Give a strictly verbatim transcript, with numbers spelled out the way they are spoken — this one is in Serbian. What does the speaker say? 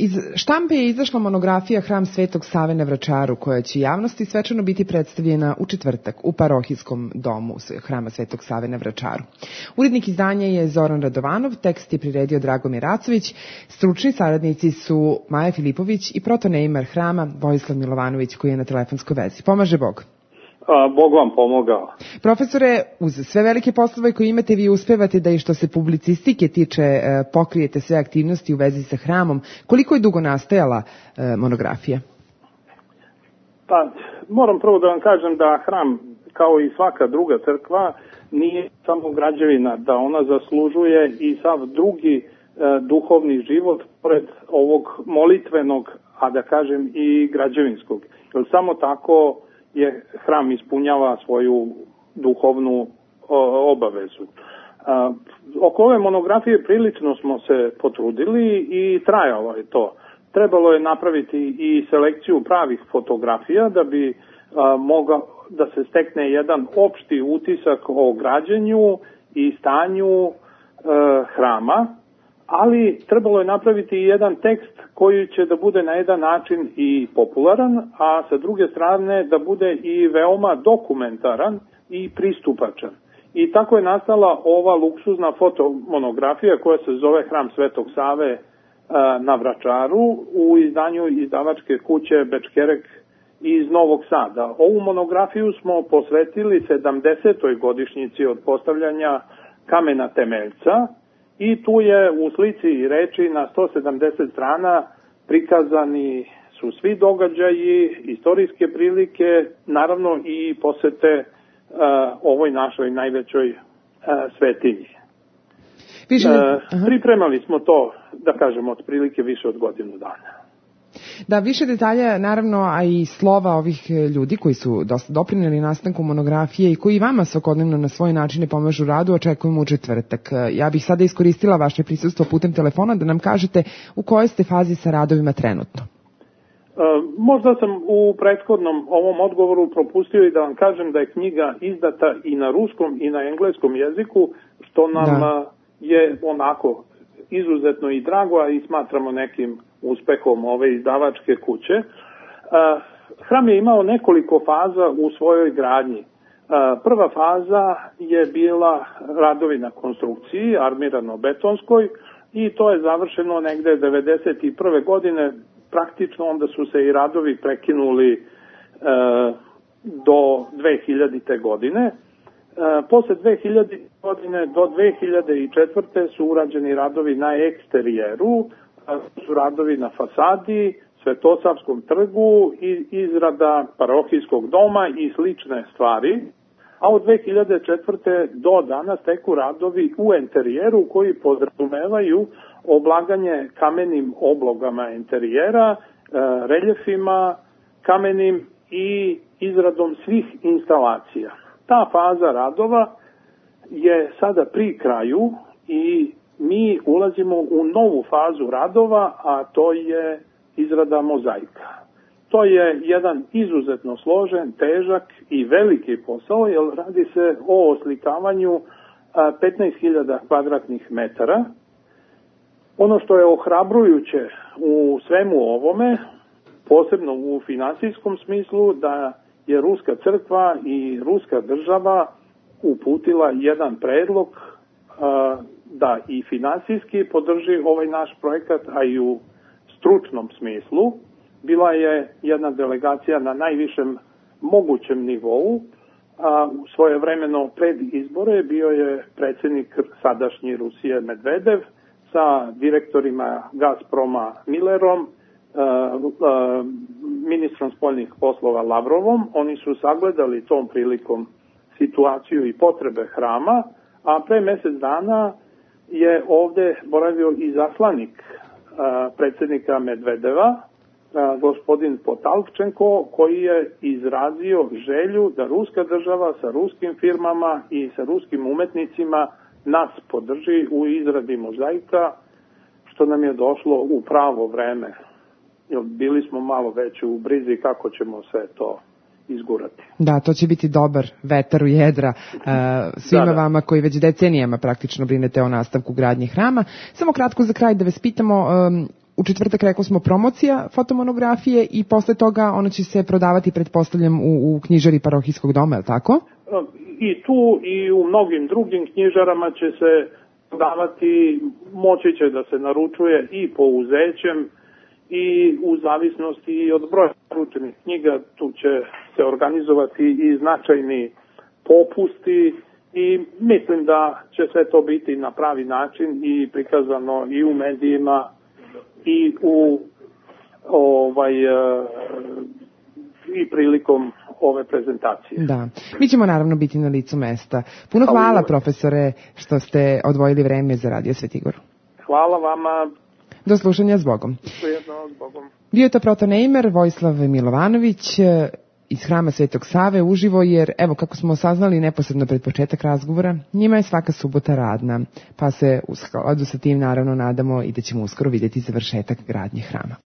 Iz štampe je izašla monografija Hram Svetog Save na Vračaru, koja će javnosti svečano biti predstavljena u četvrtak u parohijskom domu Hrama Svetog Save na Vračaru. Urednik izdanja je Zoran Radovanov, tekst je priredio Dragomir Racović, stručni saradnici su Maja Filipović i protoneimar hrama Vojislav Milovanović, koji je na telefonskoj vezi. Pomaže Bog. Bog vam pomogao. Profesore, uz sve velike poslove koje imate, vi uspevate da i što se publicistike tiče pokrijete sve aktivnosti u vezi sa hramom. Koliko je dugo nastajala monografija? Pa, moram prvo da vam kažem da hram, kao i svaka druga crkva, nije samo građevina, da ona zaslužuje i sav drugi e, duhovni život pored ovog molitvenog, a da kažem i građevinskog. Jer samo tako je hram ispunjava svoju duhovnu o, obavezu. A, oko ove monografije prilično smo se potrudili i trajalo je to. Trebalo je napraviti i selekciju pravih fotografija da bi a, mogao da se stekne jedan opšti utisak o građenju i stanju e, hrama, ali trebalo je napraviti i jedan tekst koji će da bude na jedan način i popularan, a sa druge strane da bude i veoma dokumentaran i pristupačan. I tako je nastala ova luksuzna fotomonografija koja se zove Hram Svetog Save na Vračaru u izdanju izdavačke kuće Bečkerek iz Novog Sada. Ovu monografiju smo posvetili sedamdesetoj godišnjici od postavljanja kamena temeljca i tu je u slici i reči na sto sedamdeset strana prikazani su svi događaji, istorijske prilike, naravno i posete uh, ovoj našoj najvećoj uh, svetinji. Više... Uh, pripremali smo to, da kažemo, otprilike više od godinu dana. Da, više detalja, naravno, a i slova ovih ljudi koji su dosta doprineli nastanku monografije i koji vama svakodnevno na svoje načine pomažu radu, očekujemo u četvrtak. Ja bih sada iskoristila vaše prisustvo putem telefona da nam kažete u kojoj ste fazi sa radovima trenutno. E, možda sam u prethodnom ovom odgovoru propustio i da vam kažem da je knjiga izdata i na ruskom i na engleskom jeziku, što nam da. je onako izuzetno i drago, a i smatramo nekim uspehom ove izdavačke kuće. Hram je imao nekoliko faza u svojoj gradnji. Prva faza je bila radovi na konstrukciji, armirano-betonskoj, i to je završeno negde devedeset prve godine. Praktično onda su se i radovi prekinuli do dve hiljadite. godine. Posle dve hiljadite. godine do dve hiljade četvrte. su urađeni radovi na eksterijeru, su radovi na fasadi, Svetosavskom trgu i izrada parohijskog doma i slične stvari, a od dve hiljade četvrte. do danas teku radovi u enterijeru koji podrazumevaju oblaganje kamenim oblogama enterijera, reljefima, kamenim i izradom svih instalacija. Ta faza radova je sada pri kraju i mi ulazimo u novu fazu radova, a to je izrada mozaika. To je jedan izuzetno složen, težak i veliki posao, jer radi se o oslikavanju petnaest hiljada kvadratnih metara. Ono što je ohrabrujuće u svemu ovome, posebno u finansijskom smislu, da je Ruska crkva i Ruska država uputila jedan predlog da i finansijski podrži ovaj naš projekat, a i u stručnom smislu. Bila je jedna delegacija na najvišem mogućem nivou, a svojevremeno pred izbore bio je predsjednik sadašnji Rusije Medvedev sa direktorima Gazproma Millerom, ministrom spoljnih poslova Lavrovom. Oni su sagledali tom prilikom situaciju i potrebe hrama, a pre mjesec dana je ovde boravio i zaslanik a, predsjednika Medvedeva, a, gospodin Potalčenko, koji je izrazio želju da ruska država sa ruskim firmama i sa ruskim umetnicima nas podrži u izradi mozaika, što nam je došlo u pravo vreme. Jer bili smo malo već u brizi kako ćemo sve to izgurati. Da, to će biti dobar vetar u jedra uh, svima da, da. vama koji već decenijama praktično brinete o nastavku gradnje hrama. Samo kratko za kraj da vas pitamo, um, u četvrtak, rekao smo, promocija fotomonografije i posle toga ona će se prodavati, pretpostavljam, u, u knjižari Parohijskog doma, je li tako? I tu i u mnogim drugim knjižarama će se prodavati, moći će da se naručuje i po uzećem i u zavisnosti od broja naručenih knjiga. Tu će se organizovati i značajni popusti i mislim da će sve to biti na pravi način i prikazano i u medijima i u ovaj i prilikom ove prezentacije. Da. Mi ćemo naravno biti na licu mesta. Puno hvala, profesore, što ste odvojili vreme za Radio Svetigor. Hvala vama. Do slušanja, s Bogom. Prijetno, s Bogom. Bio je to protoneimer Vojislav Milovanović iz Hrama Svetog Save uživo, jer evo kako smo saznali neposredno pred početak razgovora, njima je svaka subota radna, pa se u skladu sa tim naravno nadamo i da ćemo uskoro vidjeti završetak gradnje hrama.